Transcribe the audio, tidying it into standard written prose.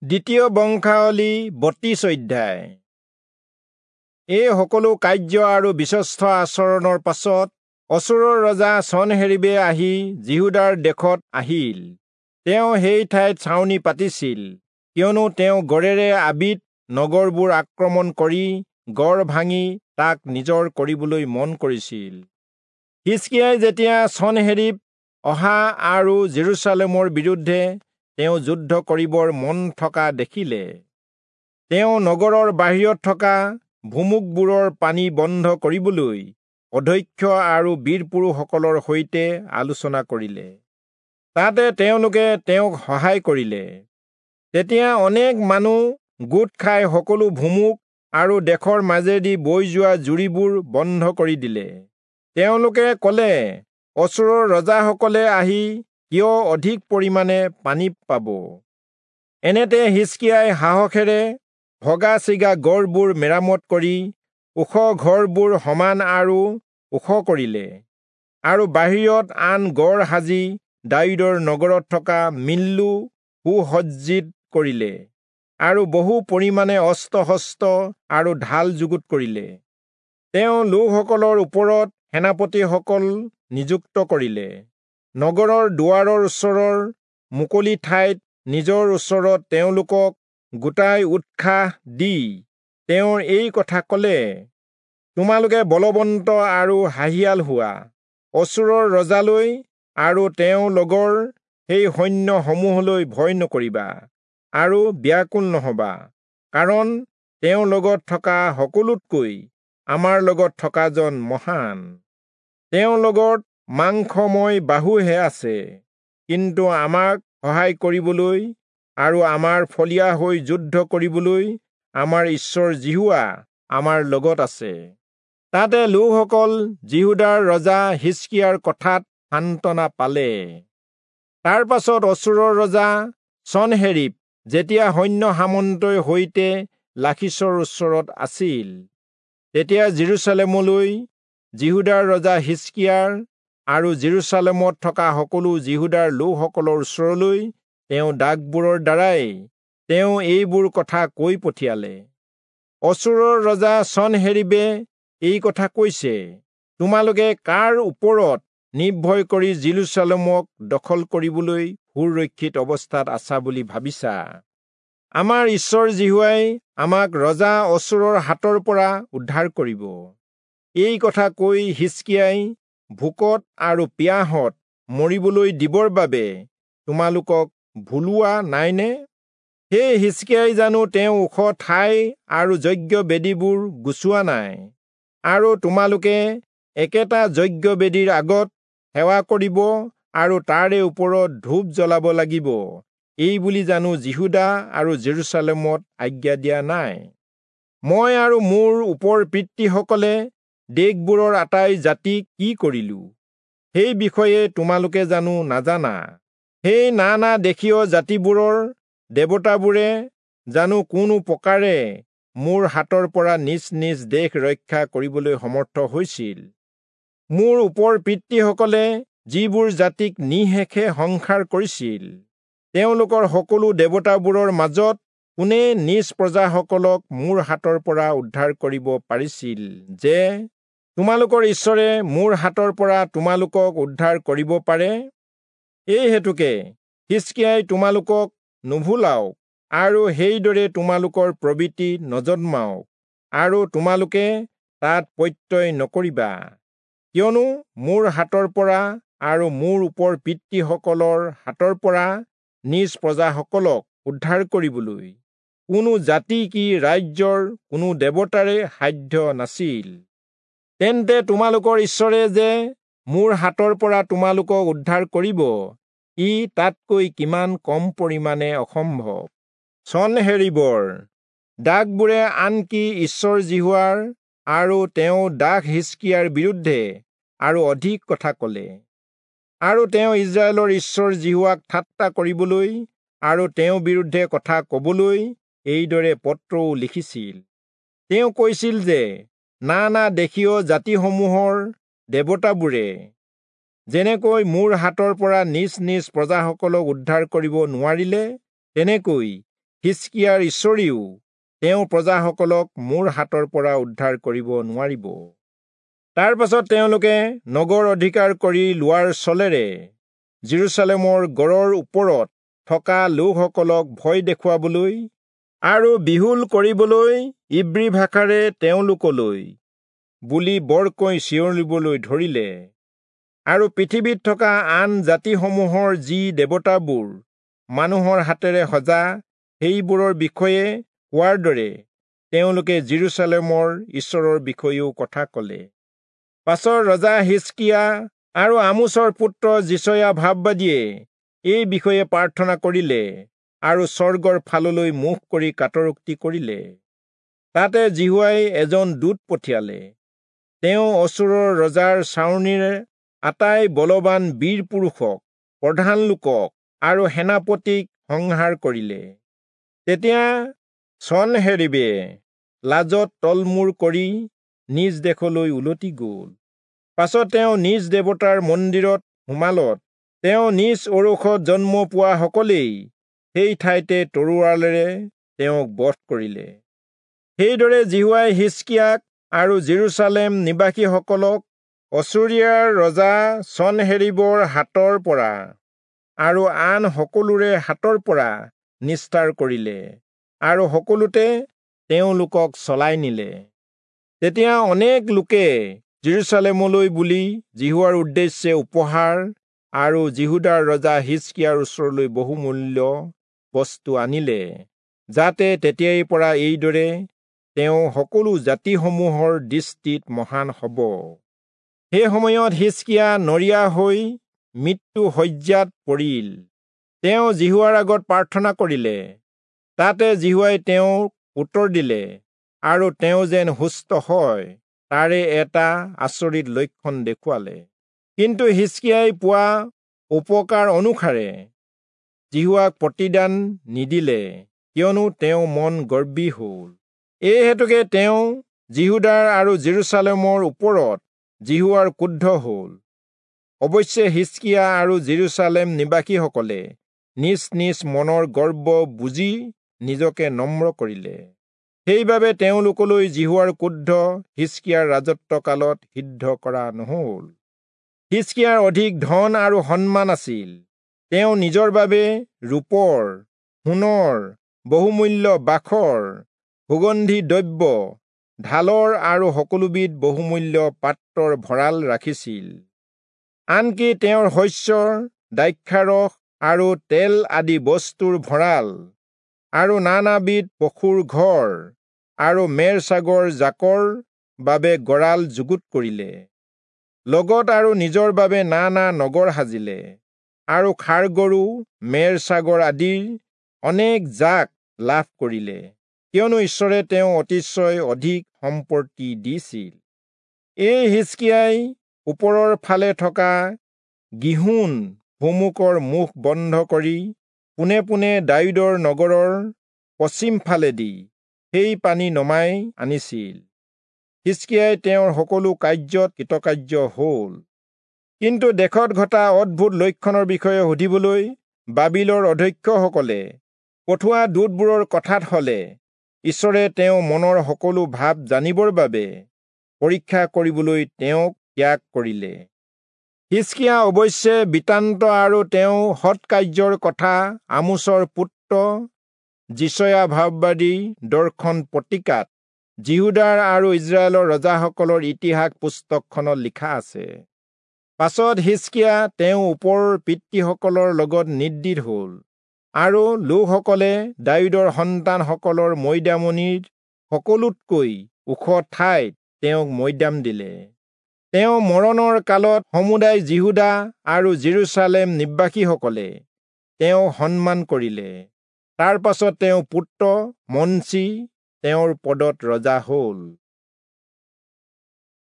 দ্বিতীয় বংশাৱলী 32 অধ্যায়। এই সকলো কাৰ্য আৰু বিশ্বস্ত আচৰণৰ পাছত অচূৰৰ ৰজা চনহেৰীবে আহি যিহূদাৰ দেশত আহিল। তেওঁ সেই ঠাইত ছাউনি পাতিছিল, কিয়নো তেওঁ গড়েৰে আবিত নগৰবোৰ আক্ৰমণ কৰি গড় ভাঙি তাক নিজৰ কৰিবলৈ মন কৰিছিল। হিজকিয়াই যেতিয়া চনহেৰীব অহা আৰু জেৰুচালেমৰ বিৰুদ্ধে তেওঁ যুদ্ধ কৰিবৰ মন থকা দেখিলে, তেওঁ নগৰৰ বাহিৰত থকা ভুমুকবোৰৰ পানী বন্ধ কৰিবলৈ অধ্যক্ষ আৰু বীৰ পুৰুষসকলৰ সৈতে আলোচনা কৰিলে। তাতে তেওঁলোকে তেওঁক সহায় কৰিলে। তেতিয়া অনেক মানুহ গোট খাই সকলো ভুমুক আৰু দেশৰ মাজেদি বৈ যোৱা জুৰিবোৰ বন্ধ কৰি দিলে। তেওঁলোকে ক'লে, অচূৰৰ ৰজাসকলে আহি কিয় অধিক পৰিমাণে পানী পাব? এনেতে হিজকিয়াই সাহসেৰে ভগা ছিগা গড়বোৰ মেৰামত কৰি ওখ ঘৰবোৰ সমান আৰু ওখ কৰিলে আৰু বাহিৰত আন গড় সাজি দায়ূদৰ নগৰত থকা মিল্লো সুসজ্জিত কৰিলে আৰু বহু পৰিমাণে অস্ত্ৰ-শস্ত্ৰ আৰু ঢাল যুগুত কৰিলে। তেওঁ লোকসকলৰ ওপৰত সেনাপতিসকল নিযুক্ত কৰিলে। নগৰৰ দুৱাৰৰ ওচৰৰ মুকলি ঠাইত নিজৰ ওচৰত তেওঁলোকক গোটাই উৎসাহ দি তেওঁ এই কথা ক'লে, তোমালোকে বলৱন্ত আৰু সাহিয়াল হোৱা। অচূৰৰ ৰজালৈ আৰু তেওঁৰ লগৰ সেই সৈন্যসমূহলৈ ভয় নকৰিবা আৰু ব্যাকুল নহবা, কাৰণ তেওঁৰ লগত থকা সকলোতকৈ আমাৰ লগত থকাজন মহান। তেওঁৰ লগত মাংসময় বাহুহে আছে, কিন্তু আমাক সহায় কৰিবলৈ আৰু আমাৰ ফলীয়া হৈ যুদ্ধ কৰিবলৈ আমাৰ ঈশ্বৰ যিহোৱা আমাৰ লগত আছে। তাতে লোকসকল যিহূদাৰ ৰজা হিজকিয়াৰ কথাত সান্তনা পালে। তাৰ পাছত অচূৰৰ ৰজা চনহেৰীব যেতিয়া সৈন্য সামন্তই সৈতে লাখীচৰ ওচৰত আছিল, তেতিয়া জেৰুচালেমলৈ যিহূদাৰ ৰজা হিজকিয়াৰ আৰু জেৰুচালেমত থকা সকলো যিহূদাৰ লোকসকলৰ ওচৰলৈ তেওঁ ডাকবোৰৰ দ্বাৰাই তেওঁ এইবোৰ কথা কৈ পঠিয়ালে। অচূৰৰ ৰজা চনহেৰীবে এই কথা কৈছে, তোমালোকে কাৰ ওপৰত নিৰ্ভয় কৰি জেৰুচালেমক দখল কৰিবলৈ সুৰক্ষিত অৱস্থাত আছা বুলি ভাবিছা? আমাৰ ঈশ্বৰ যিহোৱাই আমাক ৰজা অচূৰৰ হাতৰ পৰা উদ্ধাৰ কৰিব। এই কথা কৈ হিজকিয়াই ভোকত আৰু পিয়াহত মৰিবলৈ দিবৰ বাবে তোমালোকক ভুলোৱা নাইনে? সেই হিজকিয়াই জানো তেওঁ ওখ ঠাই আৰু যজ্ঞ বেদীবোৰ গুচোৱা নাই, আৰু তোমালোকে একেটা যজ্ঞ বেদীৰ আগত সেৱা কৰিব আৰু তাৰে ওপৰত ধূপ জ্বলাব লাগিব, এই বুলি জানো যিহূদা আৰু জেৰুচালেমত আজ্ঞা দিয়া নাই? মই আৰু মোৰ ওপৰ পিতৃসকলে দেশবোৰৰ আটাই জাতিক কি কৰিলো, সেই বিষয়ে তোমালোকে জানো নাজানা? সেই নানা দেশীয় জাতিবোৰৰ দেৱতাবোৰে জানো কোনো প্ৰকাৰে মোৰ হাতৰ পৰা নিজ নিজ দেশ ৰক্ষা কৰিবলৈ সমৰ্থ হৈছিল? মোৰ ওপৰ পিতৃসকলে যিবোৰ জাতিক নিঃশেষে সংসাৰ কৰিছিল, তেওঁলোকৰ সকলো দেৱতাবোৰৰ মাজত কোনে নিজ প্ৰজাসকলক মোৰ হাতৰ পৰা উদ্ধাৰ কৰিব পাৰিছিল যে তোমালোকৰ ঈশ্বৰে মোৰ হাতৰ পৰা তোমালোকক উদ্ধাৰ কৰিব পাৰে? এই হেতুকে হিজকিয়াই তোমালোকক নুভুলাওক আৰু সেইদৰে তোমালোকৰ প্ৰবৃত্তি নজন্মাওক আৰু তোমালোকে তাত প্ৰত্যয় নকৰিবা, কিয়নো মোৰ হাতৰ পৰা আৰু মোৰ ওপৰ পিতৃসকলৰ হাতৰ পৰা নিজ প্ৰজাসকলক উদ্ধাৰ কৰিবলৈ কোনো জাতি কি ৰাজ্যৰ কোনো দেৱতাৰে সাধ্য নাছিল। তেন্তে তোমালোকৰ ঈশ্বৰে যে মোৰ হাতৰ পৰা তোমালোকক উদ্ধাৰ কৰিব, ই তাতকৈ কিমান কম পৰিমাণে অসম্ভৱ। চনহেৰীবৰ ডাকবোৰে আনকি ঈশ্বৰ যিহোৱাৰ আৰু তেওঁ দাস হিজকিয়াৰ বিৰুদ্ধে আৰু অধিক কথা ক'লে, আৰু তেওঁ ইস্ৰায়েলৰ ঈশ্বৰ যিহোৱাক ঠাট্টা কৰিবলৈ আৰু তেওঁৰ বিৰুদ্ধে কথা ক'বলৈ এইদৰে পত্ৰও লিখিছিল। তেওঁ কৈছিল যে নানা দেশীয় জাতিসমূহৰ দেৱতাবোৰে যেনেকৈ মোৰ হাতৰ পৰা নিজ নিজ প্ৰজাসকলক উদ্ধাৰ কৰিব নোৱাৰিলে, তেনেকৈ হিষ্কিয়াৰ ঈশ্বৰেও তেওঁ প্ৰজাসকলক মোৰ হাতৰ পৰা উদ্ধাৰ কৰিব নোৱাৰিব। তাৰ পাছত তেওঁলোকে নগৰ অধিকাৰ কৰি লোৱাৰ চলেৰে যিৰূচালেমৰ গড়ৰ ওপৰত থকা লোকসকলক ভয় দেখুৱাবলৈ আৰু বিহুল কৰিবলৈ ইব্ৰী ভাষাৰে তেওঁলোকলৈ বুলি বৰকৈ চিঞৰিবলৈ ধৰিলে। আৰু পৃথিৱীত থকা আন জাতিসমূহৰ যি দেৱতাবোৰ মানুহৰ হাতেৰে সজা সেইবোৰৰ বিষয়ে কোৱাৰ দৰে তেওঁলোকে যিৰূচালেমৰ ঈশ্বৰৰ বিষয়েও কথা ক'লে। পাছত ৰজা হিষ্কিয়া আৰু আমোচৰ পুত্ৰ যিচয়া ভাববাদীয়ে এই বিষয়ে প্ৰাৰ্থনা কৰিলে আৰু স্বৰ্গৰ ফাললৈ মুখ কৰি কাতৰোক্তি কৰিলে। তাতে যিহোৱাই এজন দূত পঠিয়ালে। তেওঁ অচূৰৰ ৰজাৰ ছাউনিৰে আটাই বলৱান বীৰ পুৰুষক, প্ৰধান লোকক আৰু সেনাপতিক সংহাৰ কৰিলে। তেতিয়া চনহেৰীবে লাজত তলমূৰ কৰি নিজ দেশলৈ উলটি গ'ল। পাছত তেওঁ নিজ দেৱতাৰ মন্দিৰত সোমালত তেওঁ নিজ ঔৰসত জন্ম পোৱা সকলেই সেই ঠাইতে তৰোৱালেৰে তেওঁক বধ কৰিলে। সেইদৰে যিহোৱাই হিষ্কিয়াক আৰু যিৰূচালেম নিবাসীসকলক অচূৰীয়াৰ ৰজা চনহেৰীবৰ হাতৰ পৰা আৰু আন সকলোৰে হাতৰ পৰা নিস্তাৰ কৰিলে আৰু সকলোতে তেওঁলোকক চলাই নিলে। তেতিয়া অনেক লোকে যিৰূচালেমলৈ বুলি যিহোৱাৰ উদ্দেশ্যে উপহাৰ আৰু যিহূদাৰ ৰজা হিষ্কিয়াৰ ওচৰলৈ বহুমূল্য বস্তু আনিলে, যাতে তেতিয়াৰ পৰা এইদৰে তেওঁ সকলো জাতিসমূহৰ দৃষ্টিত মহান হ'ব। সেই সময়ত হিষ্কিয়া নৰিয়া হৈ মৃত্যু শয্যাত পৰিল। তেওঁ যিহোৱাৰ আগত প্ৰাৰ্থনা কৰিলে। তাতে যিহোৱাই তেওঁক উত্তৰ দিলে আৰু তেওঁ যেন সুস্থ হয় তাৰে এটা আচৰিত লক্ষণ দেখুৱালে। কিন্তু হিষ্কিয়াই পোৱা উপকাৰ অনুসাৰে যিহোৱাক প্ৰতিদান নিদিলে, কিয়নো তেওঁ মন গৰ্বী হ'ল। এই হেতুকে তেওঁ যিহূদাৰ আৰু যিৰূচালেমৰ ওপৰত যিহোৱাৰ ক্ৰুদ্ধ হ'ল। অৱশ্যে হিষ্কিয়া আৰু যিৰূচালেম নিবাসীসকলে নিজ নিজ মনৰ গৰ্ব বুজি নিজকে নম্ৰ কৰিলে। সেইবাবে তেওঁলোকলৈ যিহোৱাৰ ক্ৰোধ হিষ্কিয়াৰ ৰাজত্বকালত সিদ্ধ কৰা নহ'ল। হিষ্কিয়াৰ অধিক ধন আৰু সন্মান আছিল। তেওঁ নিজৰ বাবে ৰূপৰ, সোণৰ, বহুমূল্য বাখৰ, সুগন্ধি দ্ৰব্য, ঢালৰ আৰু সকলোবিধ বহুমূল্য পাত্ৰৰ ভঁৰাল ৰাখিছিল। আনকি তেওঁৰ শস্যৰ, দ্ৰাক্ষাৰস আৰু তেল আদি বস্তুৰ ভঁৰাল আৰু নানাবিধ পশুৰ ঘৰ আৰু মেৰ ছাগৰ জাকৰ বাবে গঁৰাল যুগুত কৰিলে। লগত আৰু নিজৰ বাবে নানা নগৰ সাজিলে আৰু ষাঁড়গৰু, মেৰ ছাগৰ আদিৰ অনেক জাক লাভ কৰিলে, কিয়নো ঈশ্বৰে তেওঁ অতিশয় অধিক সম্পত্তি দিছিল। এই হিষ্কিয়াই ওপৰৰ ফালে থকা গীহোন ভুমুকৰ মুখ বন্ধ কৰি পোনে পোনে দায়ূদৰ নগৰৰ পশ্চিম ফালেদি সেই পানী নমাই আনিছিল। হিষ্কিয়াই তেওঁৰ সকলো কাৰ্যত কৃতকাৰ্য হ'ল। কিন্তু দেশত ঘটা অদ্ভুত লক্ষণৰ বিষয়ে সুধিবলৈ বাবিলৰ অধ্যক্ষসকলে পঠোৱা দূতবোৰৰ কথাত হলে ঈশ্বৰে তেওঁ মনৰ সকলো ভাৱ জানিবৰ বাবে পৰীক্ষা কৰিবলৈ তেওঁক ত্যাগ কৰিলে। হিষ্কিয়া অৱশ্যে বৃত্তান্ত আৰু তেওঁ সৎকাৰ্যৰ কথা আমোচৰ পুত্ৰ যিচয়া ভাববাদী দৰ্শন পত্ৰিকাত যিহূদাৰ আৰু ইস্ৰায়েলৰ ৰজাসকলৰ ইতিহাস পুস্তকখনত লিখা আছে। পাছত হিষ্কিয়া তেওঁ ওপৰৰ পিতৃসকলৰ লগত নিদ্ৰিত হ'ল আৰু লোকসকলে দায়ূদৰ সন্তানসকলৰ মৈদামনিৰ সকলোতকৈ ওখ ঠাইত তেওঁক মৈদাম দিলে। তেওঁ মৰণৰ কালত সমুদায় যিহূদা আৰু যিৰূচালেম নিবাসীসকলে তেওঁ সন্মান কৰিলে। তাৰ পাছত তেওঁ পুত্ৰ মনচি তেওঁৰ পদত ৰজা হ'ল।